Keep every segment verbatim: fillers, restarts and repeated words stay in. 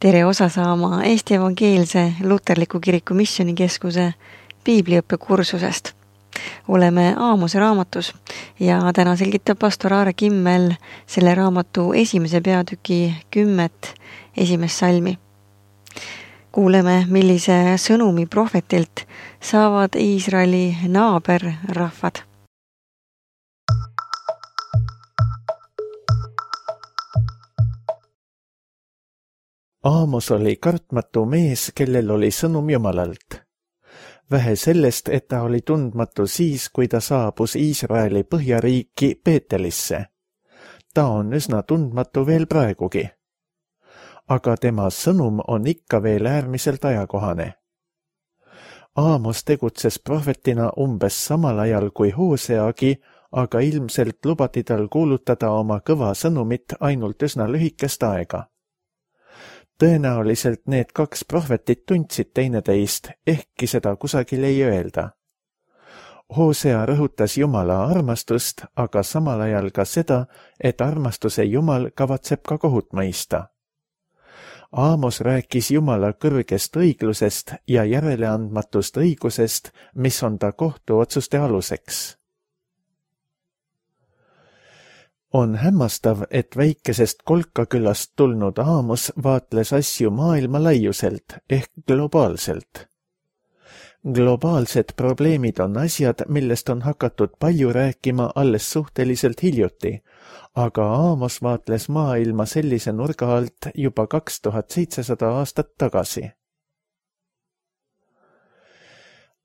Tere osa saama Eesti Evangeelse Luterliku Kiriku Missioonikeskuse piibliõppe kursusest. Oleme Aamose raamatus ja täna selgitab pastor Aare Kimmel selle raamatu esimese peatüki kümmet esimest salmi. Kuuleme, millise sõnumi prohvetilt saavad Iisraeli naaberrahvad. Aamos oli kartmatu mees, kellel oli sõnum Jumalalt. Vähe sellest, et ta oli tundmatu siis, kui ta saabus Iisraeli põhjariiki Beetelisse. Ta on üsna tundmatu veel praegugi. Aga tema sõnum on ikka veel äärmiselt ajakohane. Aamos tegutses prohvetina umbes samal ajal kui Hooseagi, aga ilmselt lubati tal kuulutada oma kõva sõnumit ainult üsna lühikest aega. Tõenäoliselt need kaks prohvetit tundsid teineteist, ehkki seda kusagil ei öelda. Hoosea rõhutas Jumala armastust, aga samal ajal ka seda, et armastuse Jumal kavatseb ka kohut mõista. Aamos rääkis Jumala kõrgest õiglusest ja järeleandmatust õigusest, mis on ta kohtuotsuste aluseks. On hämmastav, et väikesest Kolkakülast tulnud Aamos vaatles asju maailma laiuselt ehk globaalselt. Globaalsed probleemid on asjad, millest on hakatud palju rääkima alles suhteliselt hiljuti, aga Aamos vaatles maailma sellise nurga alt juba kaks tuhat seitsesada aastat tagasi.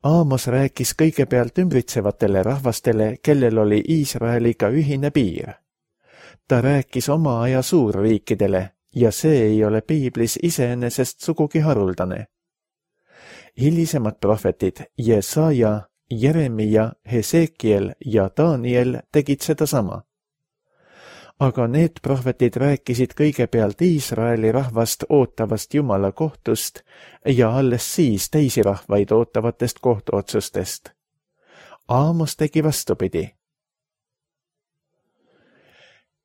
Aamos rääkis kõigepealt ümbritsevatele rahvastele, kellel oli Iisraeliga ühine piir. Ta rääkis oma aja suurriikidele ja see ei ole piiblis iseenesest sugugi haruldane. Hilisemad prohvetid Jesaja, Jeremia, Hesekiel ja Daniel tegid seda sama. Aga need prohvetid rääkisid kõigepealt Iisraeli rahvast ootavast Jumala kohtust ja alles siis teisi rahvaid ootavatest kohtuotsustest. Aamos tegi vastupidi.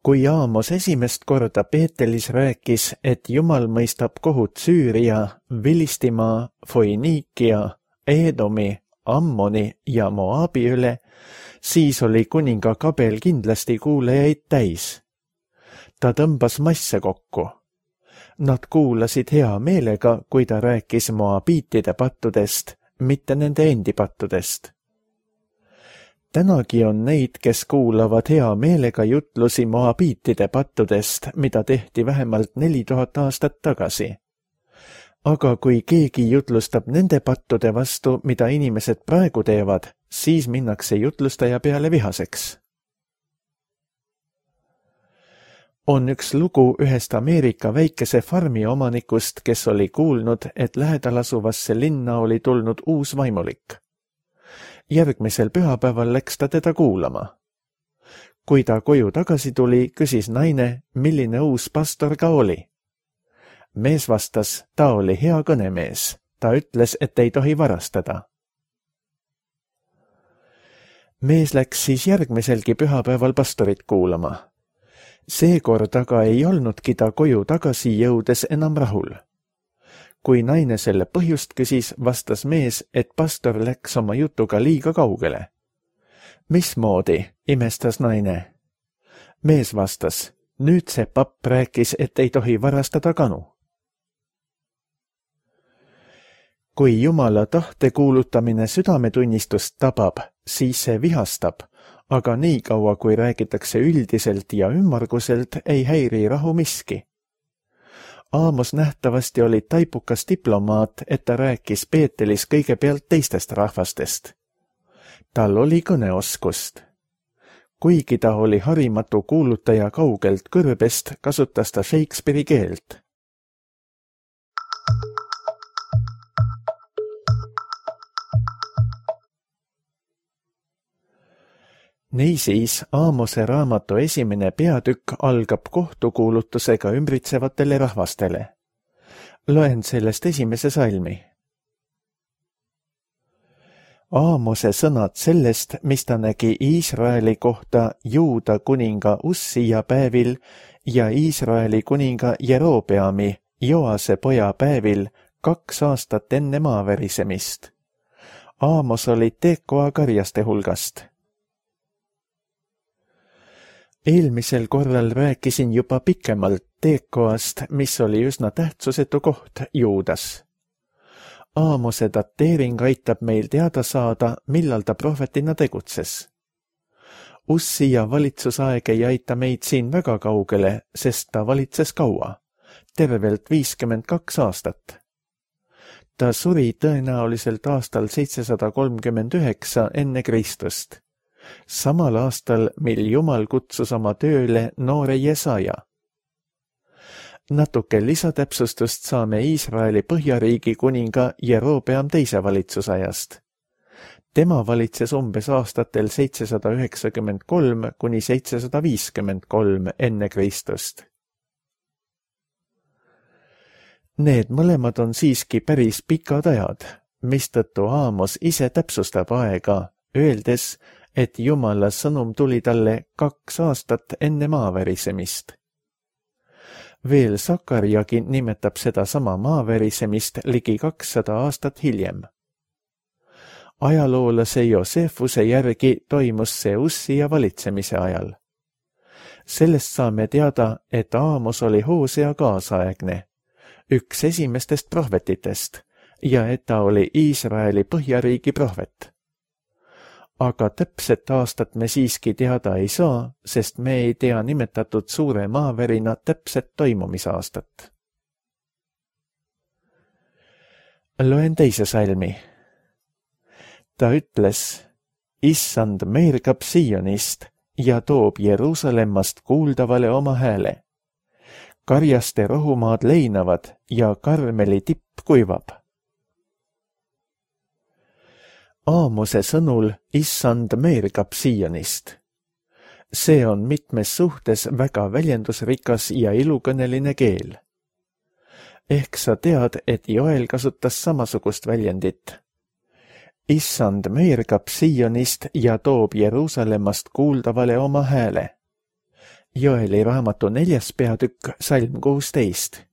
Kui Aamos esimest korda Beetelis rääkis, et Jumal mõistab kohut Süüria, Vilistimaa, Foiniikia, Eedomi, Ammoni ja Moabi üle, siis oli kuninga kabel kindlasti kuulajaid täis. Ta tõmbas masse kokku. Nad kuulasid hea meelega, kui ta rääkis moabiitide pattudest, mitte nende endi pattudest. Tänagi on neid, kes kuulavad hea meelega jutlusi moabiitide pattudest, mida tehti vähemalt neli tuhat aastat tagasi. Aga kui keegi jutlustab nende pattude vastu, mida inimesed praegu teevad, siis minnakse jutlustaja peale vihaseks. On üks lugu ühest Ameerika väikese farmi omanikust, kes oli kuulnud, et lähedal asuvasse linna oli tulnud uus vaimulik. Järgmisel pühapäeval läks ta teda kuulama. Kui ta koju tagasi tuli, küsis naine, milline uus pastor ka oli. Mees vastas, ta oli hea kõnemees. Ta ütles, et ei tohi varastada. Mees läks siis järgmiselgi pühapäeval pastorit kuulama. Seekord aga ei olnudki ta koju tagasi jõudes enam rahul. Kui naine selle põhjust küsis, vastas mees, et pastor läks oma jutuga liiga kaugele. Mismoodi, imestas naine. Mees vastas, nüüd see papp rääkis, et ei tohi varastada kanu. Kui Jumala tahte kuulutamine südametunnistust tabab, siis see vihastab, aga nii kaua, kui räägitakse üldiselt ja ümmarguselt, ei häiri rahu miski. Aamos nähtavasti oli taipukas diplomaat, et ta rääkis Beetelis kõigepealt teistest rahvastest. Tal oli kõneoskust. Kuigi ta oli harimatu kuulutaja kaugelt kõrbest, kasutas ta Shakespeare'i keelt. Niisiis, Aamose raamatu esimene peatükk algab kohtukuulutusega ümbritsevatele rahvastele. Loen sellest esimese salmi. Aamose sõnad sellest, mis ta nägi Iisraeli kohta Juuda kuninga Ussia päevil ja Iisraeli kuninga Jerobeami, Joase poja päevil kaks aastat enne maaverisemist. Aamos oli Tekoa karjaste hulgast. Eelmisel korral rääkisin juba pikemalt Tekoast, mis oli üsna tähtsusetu koht Juudas. Aamose dateering aitab meil teada saada, millal ta prohvetina tegutses. Ussia valitsusaeg ei aita meid siin väga kaugele, sest ta valitses kaua, tervelt viiskümmend kaks aastat. Ta suri tõenäoliselt aastal seitsesada kolmkümmend üheksa enne Kristust, samal aastal, mil Jumal kutsus oma tööle noore Jesaja. Natuke lisatäpsustust saame Iisraeli põhjariigi kuninga Jerobeam teise valitsusajast. Tema valitses umbes aastatel seitsesada üheksakümmend kolm kuni seitsesada viiskümmend kolm enne Kristust. Need mõlemad on siiski päris pikad ajad, mistõttu Aamos ise täpsustab aega, öeldes, et Jumala sõnum tuli talle kaks aastat enne maaverisemist. Veel Sakarjagi nimetab seda sama maaverisemist ligi kakssada aastat hiljem. Ajaloolase Josefuse järgi toimus see Ussia valitsemise ajal. Sellest saame teada, et Aamos oli Hoosea kaasaegne, üks esimestest prohvetitest, ja et ta oli Iisraeli põhjariigi prohvet. Aga täpset aastat me siiski teada ei saa, sest me ei tea nimetatud suure maaverina täpset toimumisaastat. Loen teise salmi. Ta ütles, Issand meergab Sionist ja toob Jeruusalemmast kuuldavale oma hääle. Karjaste rohumaad leinavad ja Karmeli tipp kuivab. Aamose sõnul Issand meergab Sionist. See on mitmes suhtes väga väljendusrikas ja ilukõneline keel. Ehk sa tead, et Joel kasutas samasugust väljendit. Issand meergab Sionist ja toob Jeruusalemmast kuuldavale oma hääle. Joeli raamatu neljas peatükk, salm kuusteist.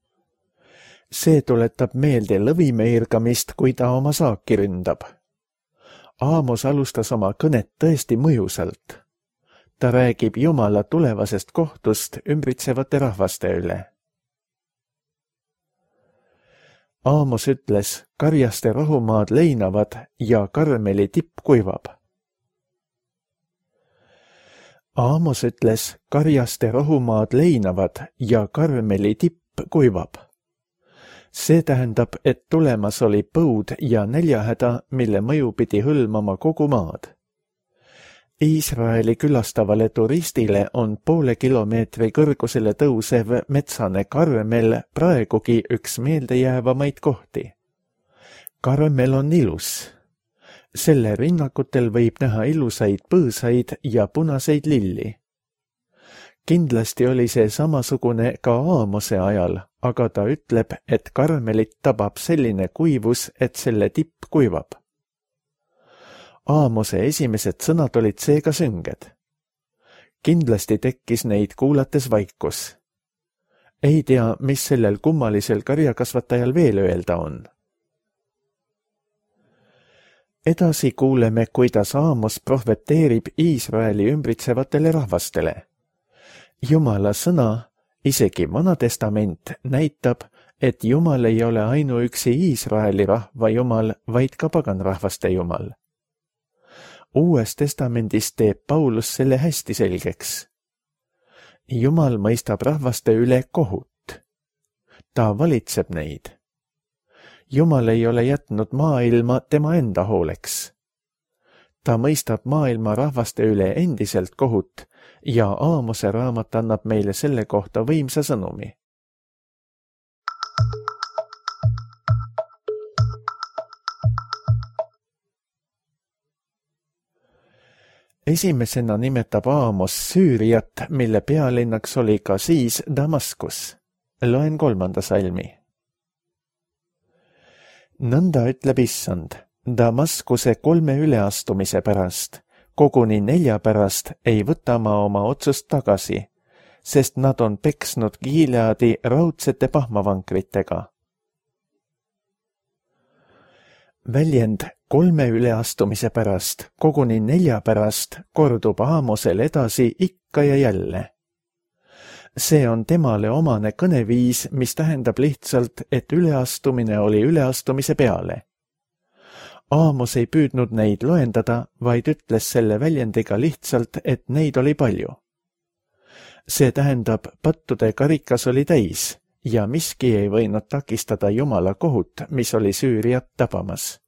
See tuletab meelde lõvi meergamist, kui ta oma saaki ründab. Aamos alustas oma kõnet tõesti mõjusalt. Ta räägib Jumala tulevasest kohtust ümbritsevate rahvaste üle. Aamos ütles, karjaste rohumaad leinavad ja Karmeli tipp kuivab. Aamos ütles, karjaste rohumaad leinavad ja Karmeli tipp kuivab. See tähendab, et tulemas oli põud ja näljahäda, mille mõju pidi hõlmama kogu maad. Iisraeli külastavale turistile on poole kilomeetri kõrgusele tõusev metsane Karmel praegugi üks meeldejäävamaid kohti. Karmel on ilus. Selle rinnakutel võib näha ilusaid põõsaid ja punaseid lilli. Kindlasti oli see samasugune ka Aamose ajal, aga ta ütleb, et Karmelit tabab selline kuivus, et selle tipp kuivab. Aamose esimesed sõnad olid seega sünged. Kindlasti tekkis neid kuulates vaikus. Ei tea, mis sellel kummalisel karjakasvatajal veel öelda on. Edasi kuuleme, kuidas Aamos prohveteerib Iisraeli ümbritsevatele rahvastele. Jumala sõna, isegi Vana Testament, näitab, et Jumal ei ole ainuüksi Iisraeli rahva Jumal, vaid ka paganrahvaste Jumal. Uues testamendis teeb Paulus selle hästi selgeks. Jumal mõistab rahvaste üle kohut. Ta valitseb neid. Jumal ei ole jätnud maailma tema enda hooleks. Ta mõistab maailma rahvaste üle endiselt kohut ja Aamose raamat annab meile selle kohta võimsa sõnumi. Esimesena nimetab Aamos Süüriat, mille pealinnaks oli ka siis Damaskus. Loen kolmanda salmi. Nõnda ütleb Issand, Damaskuse kolme üleastumise pärast, koguni nelja pärast ei võta ma oma otsust tagasi, sest nad on peksnud Gileadi raudsete pahmavankritega. Väljend kolme üleastumise pärast, koguni nelja pärast, kordub Aamosel edasi ikka ja jälle. See on temale omane kõneviis, mis tähendab lihtsalt, et üleastumine oli üleastumise peale. Aamos ei püüdnud neid loendada, vaid ütles selle väljendiga lihtsalt, et neid oli palju. See tähendab, pattude karikas oli täis ja miski ei võinud takistada Jumala kohut, mis oli Süüriat tabamas.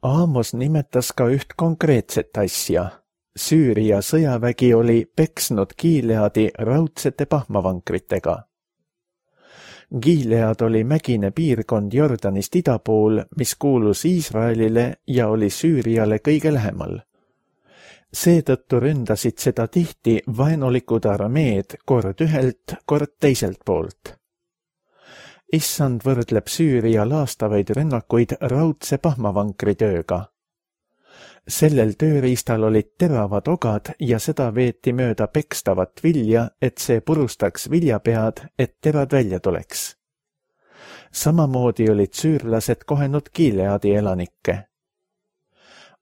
Aamos nimetas ka üht konkreetset asja. Süüria sõjavägi oli peksnud Gileadi raudsete pahmavankritega. Gilead oli mägine piirkond Jordanist ida pool, mis kuulus Iisraelile ja oli Süüriale kõige lähemal. Seetõttu ründasid seda tihti vaenulikud armeed kord ühelt, kord teiselt poolt. Issand võrdleb Süüria laastavaid rünnakuid raudse pahmavankri tööga. Sellel tööriistal olid teravad ogad ja seda veeti mööda pekstavat vilja, et see purustaks viljapead, et terad välja tuleks. Samamoodi olid süürlased kohenud Gileadi elanikke.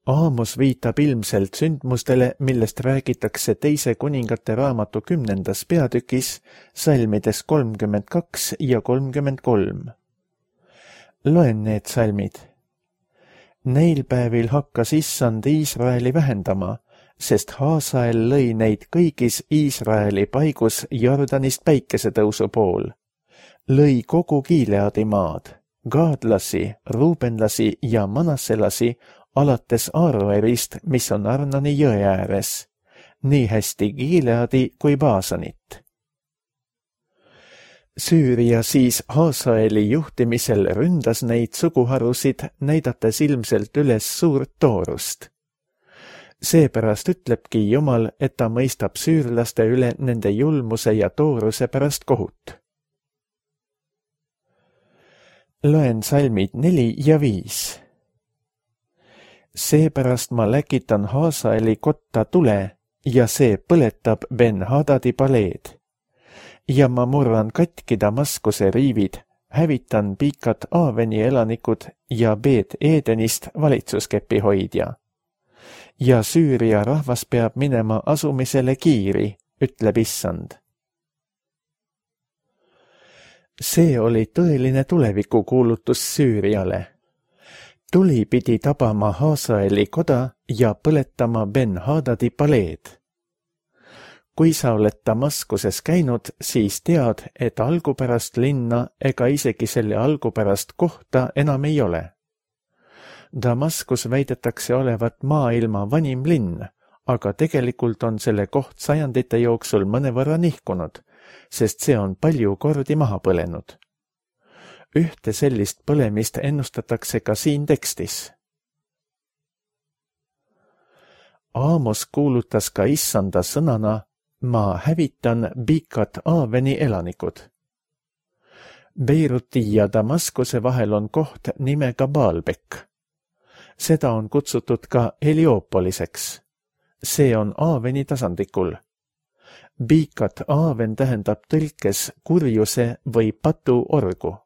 Aamos viitab ilmselt sündmustele, millest räägitakse teise kuningate raamatu kümnendas peatükis, salmides kolmkümmend kaks ja kolmkümmend kolm. Loen need salmid. Neil päevil hakkas Issand Iisraeli vähendama, sest Haasael lõi neid kõigis Iisraeli paigus Jordanist päikesetõusu pool. Lõi kogu Gileadi maad, gaadlasi, ruubenlasi ja manasselasi alates Aaroerist, mis on Arnoni jõe ääres, nii hästi Gileadi kui Baasanit. Süüria siis Haasaeli juhtimisel ründas neid suguharusid, näidates ilmselt üles suurt toorust. Seepärast ütlebki Jumal, et ta mõistab süürlaste üle nende julmuse ja tooruse pärast kohut. Loen salmid neli ja viis. Seepärast ma läkitan Haasaeli kotta tule ja see põletab Ben-Hadadi paleed. Ja ma murran katki Damaskuse riivid, hävitan Piikat Aaveni elanikud ja Beet Edenist valitsuskepi hoidja. Ja Süüria rahvas peab minema asumisele kiiri, ütleb Issand. See oli tõeline tulevikukuulutus Süüriale. Tuli pidi tabama Haasaeli koda ja põletama Ben-Hadadi paleed. Kui sa oled Damaskuses käinud, siis tead, et algupärast linna ega isegi selle algupärast kohta enam ei ole. Damaskus väidetakse olevat maailma vanim linn, aga tegelikult on selle koht sajandite jooksul mõnevõrra nihkunud, sest see on palju kordi maha põlenud. Ühte sellist põlemist ennustatakse ka siin tekstis. Aamos kuulutas ka Issanda sõnana, ma hävitan Piikat Aaveni elanikud. Beiruti ja Damaskuse vahel on koht nimega Baalbek. Seda on kutsutud ka Heliopoliseks. See on Aaveni tasandikul. Piikat Aaven tähendab tõlkes kurjuse või patu orgu.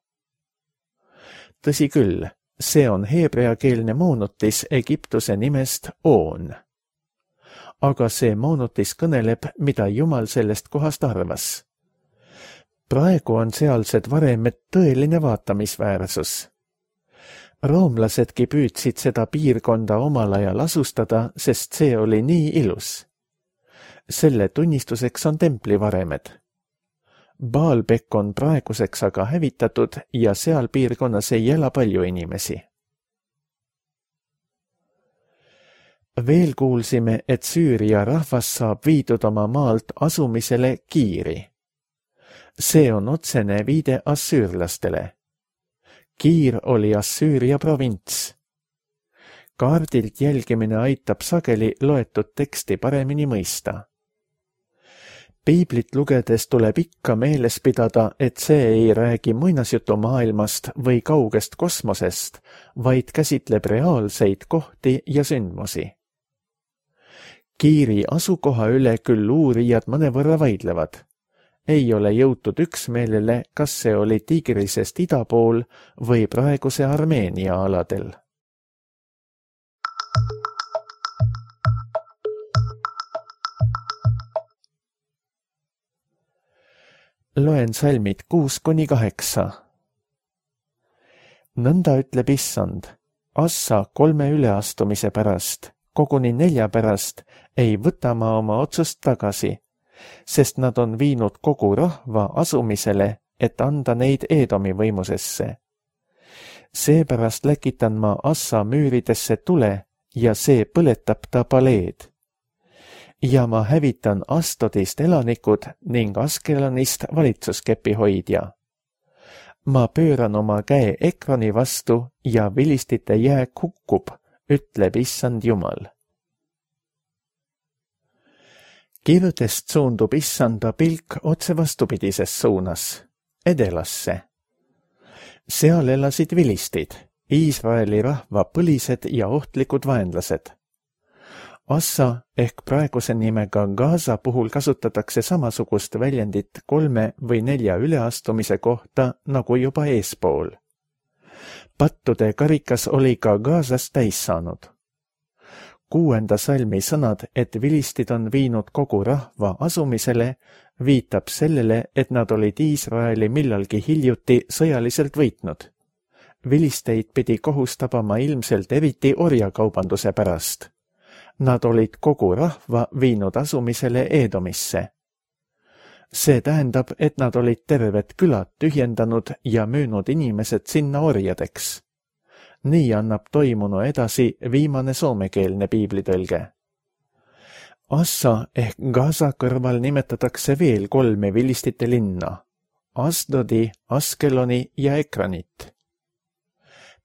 Tõsi küll, see on heebreakeelne moonutis Egiptuse nimest On. Aga see moonutis kõneleb, mida Jumal sellest kohast arvas. Praegu on sealsed varemed tõeline vaatamisväärsus. Roomlasedki püüdsid seda piirkonda omal ajal asustada, sest see oli nii ilus. Selle tunnistuseks on templivaremed. Baalbek on praeguseks aga hävitatud ja seal piirkonnas ei ela palju inimesi. Veel kuulsime, et Süüria rahvas saab viidud oma maalt asumisele kiiri. See on otsene viide assüürlastele. Kiir oli Assüüria provints. Kaardilt jälgimine aitab sageli loetud teksti paremini mõista. Piiblit lugedes tuleb ikka meeles pidada, et see ei räägi muinasjutumaailmast või kaugest kosmosest, vaid käsitleb reaalseid kohti ja sündmusi. Kiiri asukoha üle küll uurijad mõnevõrra vaidlevad. Ei ole jõutud üksmeelele, kas see oli Tigrisest ida pool või praeguse Armeenia aladel. Loen salmid kuus kuni kaheksa. Nõnda ütleb Issand, Assa kolme üleastumise pärast, koguni nelja pärast, ei võta ma oma otsust tagasi, sest nad on viinud kogu rahva asumisele, et anda neid Eedomi võimusesse. Seepärast läkitan ma Assa müüridesse tule ja see põletab ta paleed. Ja ma hävitan Astodist elanikud ning Askelonist valitsuskepi hoidja. Ma pööran oma käe Ekroni vastu ja vilistite jääk hukkub, ütleb Issand Jumal. Kirudest suundub Issanda pilk otse vastupidises suunas, edelasse. Seal elasid vilistid, Iisraeli rahva põlised ja ohtlikud vaenlased. Assa ehk praeguse nimega Gaza puhul kasutatakse samasugust väljendit kolme või nelja üleastumise kohta nagu juba eespool. Pattude karikas oli ka Gazas täis saanud. Kuuenda salmi sõnad, et vilistid on viinud kogu rahva asumisele, viitab sellele, et nad olid Iisraeli millalgi hiljuti sõjaliselt võitnud. Vilisteid pidi kohus tabama ilmselt eriti orjakaubanduse pärast. Nad olid kogu rahva viinud asumisele Eedomisse. See tähendab, et nad olid terved külad tühjendanud ja müünud inimesed sinna orjadeks. Nii annab toimunu edasi viimane soomekeelne piiblitõlge. Assa ehk Gaza kõrval nimetatakse veel kolme vilistite linna, Asdodi, Askeloni ja Ekranit.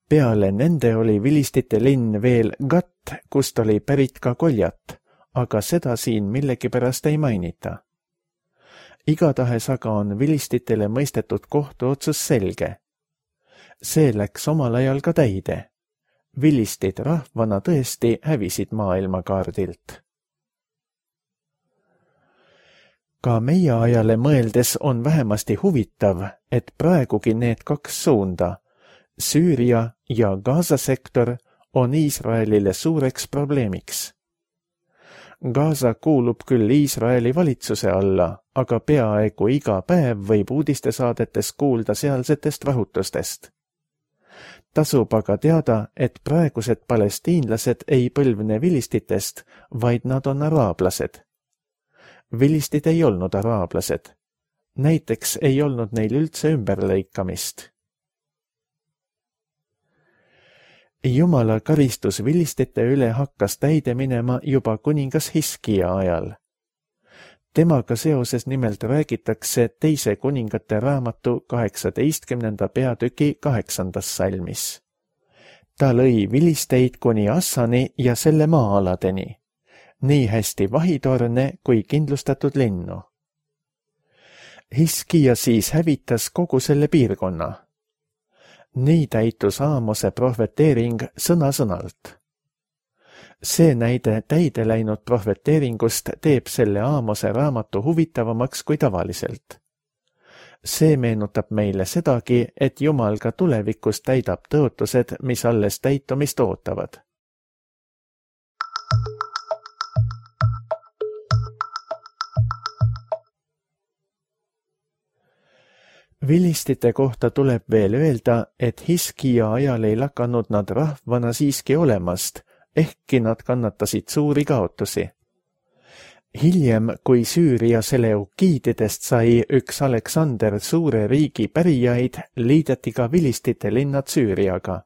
Peale nende oli vilistite linn veel Gat, kust oli pärit ka Koljat, aga seda siin millegipärast ei mainita. Igatahes aga on vilistitele mõistetud kohtuotsus selge. See läks omal ajal ka täide. Vilistid rahvana tõesti hävisid maailmakaardilt. Ka meie ajale mõeldes on vähemasti huvitav, et praegugi need kaks suunda, Süüria ja Gaza sektor, on Iisraelile suureks probleemiks. Gaza kuulub küll Iisraeli valitsuse alla, aga peaaegu iga päev võib uudistesaadetes kuulda sealsetest rahutustest. Tasub aga teada, et praegused palestiinlased ei põlvne vilistitest, vaid nad on araablased. Vilistid ei olnud araablased. Näiteks ei olnud neil üldse ümberlõikamist. Jumala karistus vilistite üle hakkas täide minema juba kuningas Hiskia ajal. Temaga seoses nimelt räägitakse teise kuningate raamatu kaheksateistkümnenda peatüki kaheksandas salmis. Ta lõi vilisteid kuni Assani ja selle maa-aladeni, nii hästi vahitorne kui kindlustatud linnu. Hiskia siis hävitas kogu selle piirkonna. Nii täitus Aamose prohveteering sõna-sõnalt. See näide täide läinud prohveteeringust teeb selle Aamose raamatu huvitavamaks kui tavaliselt. See meenutab meile sedagi, et Jumal ka tulevikus täidab tõotused, mis alles täitumist ootavad. Vilistite kohta tuleb veel öelda, et Hiskia ajal ei lakanud nad rahvana siiski olemast, ehkki nad kannatasid suuri kaotusi. Hiljem, kui Süüria seleukiididest sai üks Aleksander suure riigi pärijaid, liideti ka vilistite linnad Süüriaga.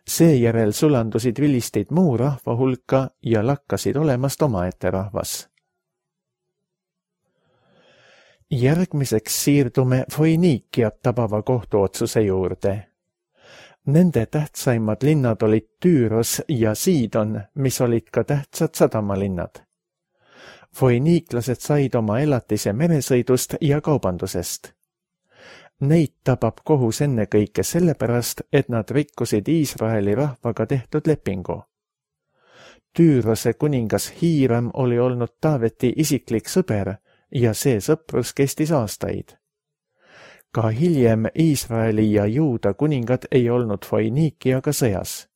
Seejärel sulandusid vilistid muu rahva hulka ja lakkasid olemast omaette rahvas. Järgmiseks siirdume Foiniikiat tabava kohtuotsuse juurde. Nende tähtsaimad linnad olid Tüüros ja Siidon, mis olid ka tähtsad sadamalinnad. Foiniiklased said oma elatise meresõidust ja kaubandusest. Neid tabab kohus ennekõike sellepärast, et nad rikkusid Iisraeli rahvaga tehtud lepingu. Tüürose kuningas Hiiram oli olnud Taaveti isiklik sõber ja see sõprus kestis aastaid. Ka hiljem Iisraeli ja Juuda kuningad ei olnud Foiniikiaga sõjas.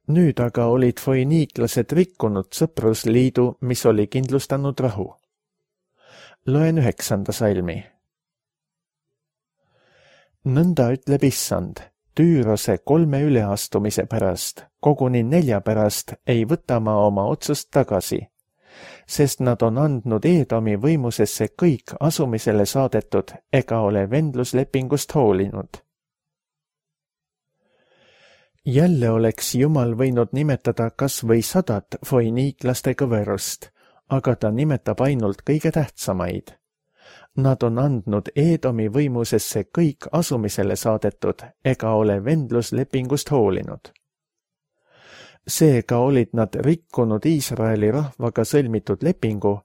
Nüüd aga olid foiniiklased rikkunud sõprusliidu, mis oli kindlustanud rahu. Loen üheksanda salmi. Nõnda ütleb issand, Tüürose kolme üleastumise pärast, koguni nelja pärast ei võta ma oma otsust tagasi, sest nad on andnud Eedomi võimusesse kõik asumisele saadetud ega ole vendluslepingust hoolinud. Jälle oleks Jumal võinud nimetada kas või sadat foiniiklaste kõverust, aga ta nimetab ainult kõige tähtsamaid. Nad on andnud Eedomi võimusesse kõik asumisele saadetud ega ole vendluslepingust hoolinud. Seega olid nad rikkunud Iisraeli rahvaga sõlmitud lepingu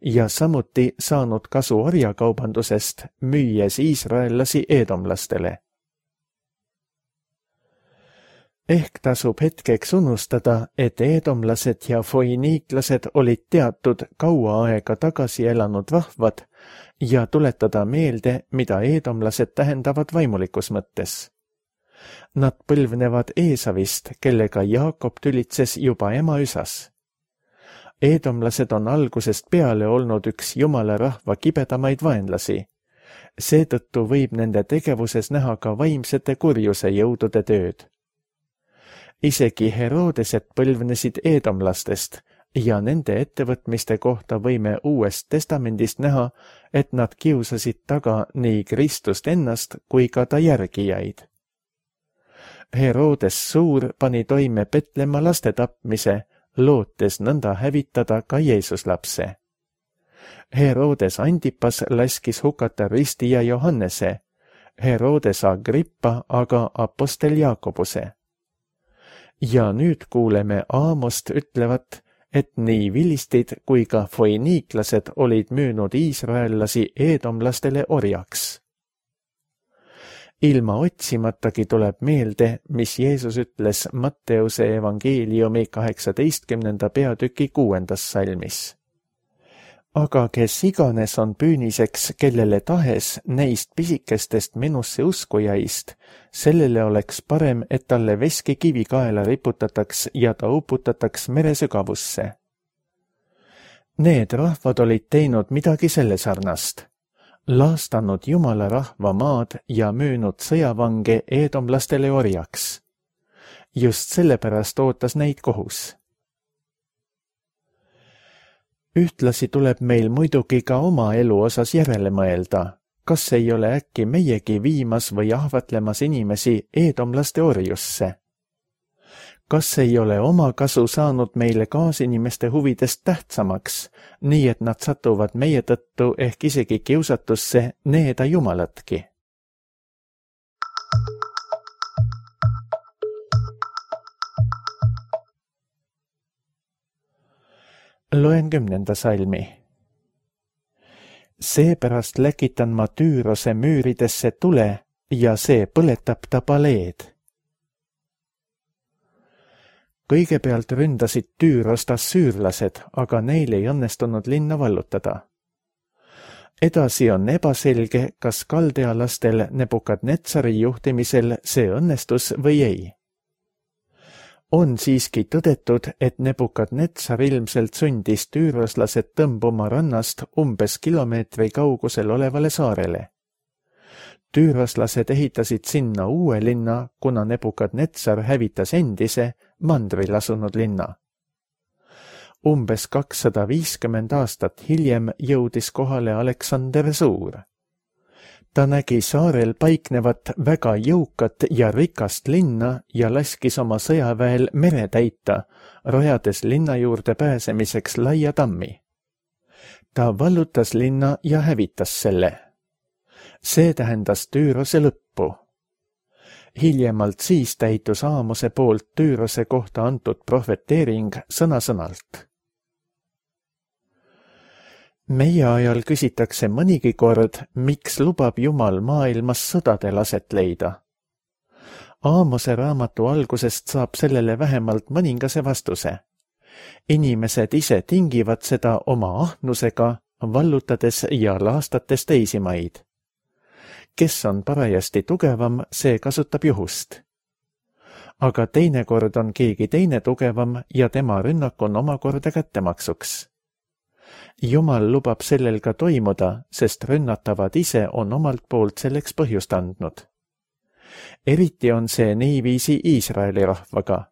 ja samuti saanud kasu orjakaubandusest, müües iisraellasi eedomlastele. Ehk tasub hetkeks unustada, et eedomlased ja foiniiklased olid teatud kaua aega tagasi elanud rahvad ja tuletada meelde, mida eedomlased tähendavad vaimulikus mõttes. Nad põlvnevad Eesavist, kellega Jaakob tülitses juba ema üsas. Eedomlased on algusest peale olnud üks Jumala rahva kibedamaid vaenlasi. Seetõttu võib nende tegevuses näha ka vaimsete kurjuse jõudude tööd. Isegi Herodesed põlvnesid eedomlastest ja nende ettevõtmiste kohta võime Uuest Testamendist näha, et nad kiusasid taga nii Kristust ennast kui ka ta järgijaid. Herodes Suur pani toime Petlemma laste tapmise, lootes nõnda hävitada ka Jeesus lapse. Herodes Antipas laskis hukata ristija Johannese, Herodes Agrippa aga apostel Jaakobuse. Ja nüüd kuuleme Aamost ütlevat, et nii vilistid kui ka foiniiklased olid müünud iisraellasi eedomlastele orjaks. Ilma otsimatagi tuleb meelde, mis Jeesus ütles Matteuse evangeeliumi kaheksateistkümnenda peatüki kuuendas salmis. Aga kes iganes on püüniseks, kellele tahes neist pisikestest minusse uskujaist, sellele oleks parem, et talle veski kivi kaela riputataks ja ta uputataks meresügavusse. Need rahvad olid teinud midagi selle sarnast, laastanud Jumala rahva maad ja müünud sõjavange eedomlastele orjaks. Just sellepärast ootas neid kohus. Ühtlasi tuleb meil muidugi ka oma elu osas järele mõelda, kas ei ole äkki meiegi viimas või ahvatlemas inimesi eedomlaste orjusse. Kas ei ole oma kasu saanud meile kaasinimeste huvidest tähtsamaks, nii et nad satuvad meie tõttu ehk isegi kiusatusse needa Jumalatki? Loen kümnenda salmi. Seepärast läkitan ma Tüürose müüridesse tule ja see põletab ta paleed. Kõigepealt ründasid Tüürost assüürlased, aga neil ei õnnestunud linna vallutada. Edasi on ebaselge, kas kaldealastel Nebukadnetsari juhtimisel see õnnestus või ei. On siiski tõdetud, et Nebukadnetsar ilmselt sundis tüüroslased tõmbuma rannast umbes kilomeetri kaugusel olevale saarele. Tüüroslased ehitasid sinna uue linna, kuna Nebukadnetsar hävitas endise, mandril asunud linna. Umbes kakssada viiskümmend aastat hiljem jõudis kohale Aleksander Suur. Ta nägi saarel paiknevat väga jõukat ja rikast linna ja laskis oma sõjaväel mere täita, rajades linna juurde pääsemiseks laia tammi. Ta vallutas linna ja hävitas selle. See tähendas Tüürose lõppu. Hiljemalt siis täitus Aamose poolt Tüürose kohta antud prohveteering sõna-sõnalt. Meie ajal küsitakse mõnigi kord, miks lubab Jumal maailmas sõdade laset leida. Aamose raamatu algusest saab sellele vähemalt mõningase vastuse. Inimesed ise tingivad seda oma ahnusega, vallutades ja laastates teisi maid. Kes on parajasti tugevam, see kasutab juhust. Aga teinekord on keegi teine tugevam ja tema rünnak on omakorda kättemaksuks. Jumal lubab sellel ka toimuda, sest rünnatavad ise on omalt poolt selleks põhjust andnud. Eriti on see niiviisi Iisraeli rahvaga.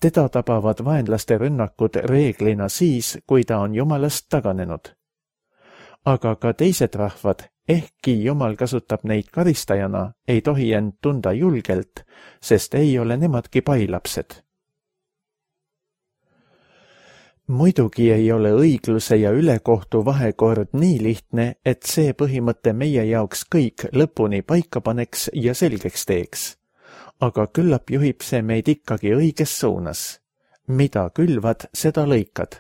Teda tabavad vaenlaste rünnakud reeglina siis, kui ta on Jumalast taganenud. Aga ka teised rahvad, ehkki Jumal kasutab neid karistajana, ei tohi end tunda julgelt, sest ei ole nemadki pailapsed. Muidugi ei ole õigluse ja ülekohtu vahekord nii lihtne, et see põhimõte meie jaoks kõik lõpuni paika paneks ja selgeks teeks. Aga küllap juhib see meid ikkagi õiges suunas. Mida külvad, seda lõikad.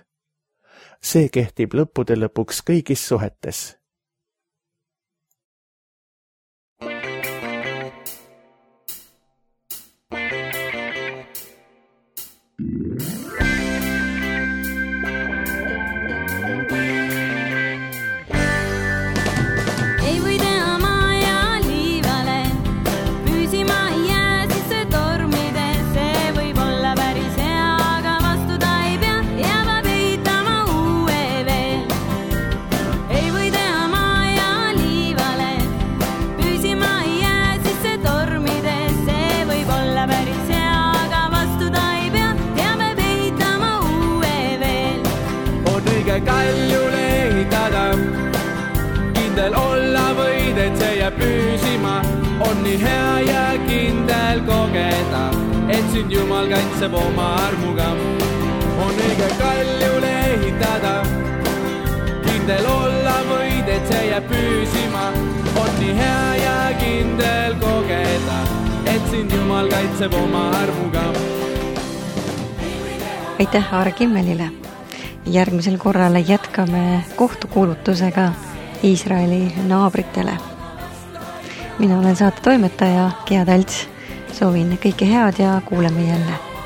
See kehtib lõppude lõpuks kõigis suhetes. Kaljule ehitada, kindel olla võid, et see jääb püsima. On nii hea ja kindel kogeda, et sind Jumal kaitseb oma armuga. On õige kaljule ehitada, kindel olla võid, et see jääb püsima. On nii hea ja kindel kogeda, et sind Jumal kaitseb oma armuga. Aitäh Aare Kimmelile! Järgmisel korral jätkame kohtukuulutusega Iisraeli naabritele. Mina olen saate toimetaja Gea Talts. Soovin kõike head ja kuuleme jälle.